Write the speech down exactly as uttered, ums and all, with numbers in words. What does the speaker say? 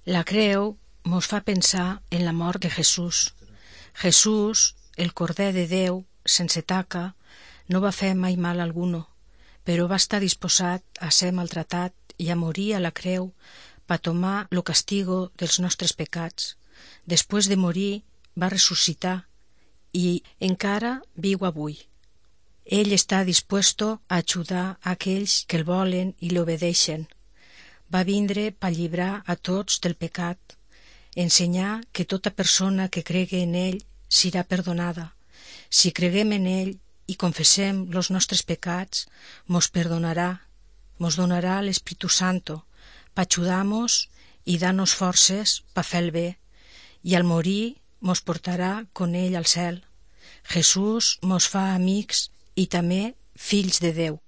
La creu mos fa pensar en la mort de Jesús. Jesús, el Corder de Déu, sense taca, no va fer mai mal alguno, però va estar disposat a ser maltratat i a morir a la creu per tomar lo castigo dels nostres pecats. Després de morir va ressuscitar i encara viu avui. Ell està dispuesto a ajudar a aquells que el volen i l'obedeixen. Va vindre per llibrar a tots del pecat, ensenyar que tota persona que cregui en ell serà perdonada. Si creguem en ell i confessem los nostres pecats, mos perdonarà, mos donarà l'Espíritu Santo per ajudar-nos i dar-nos forces per fer el bé, i al morir mos portarà con ell al cel. Jesús mos fa amics i també fills de Déu.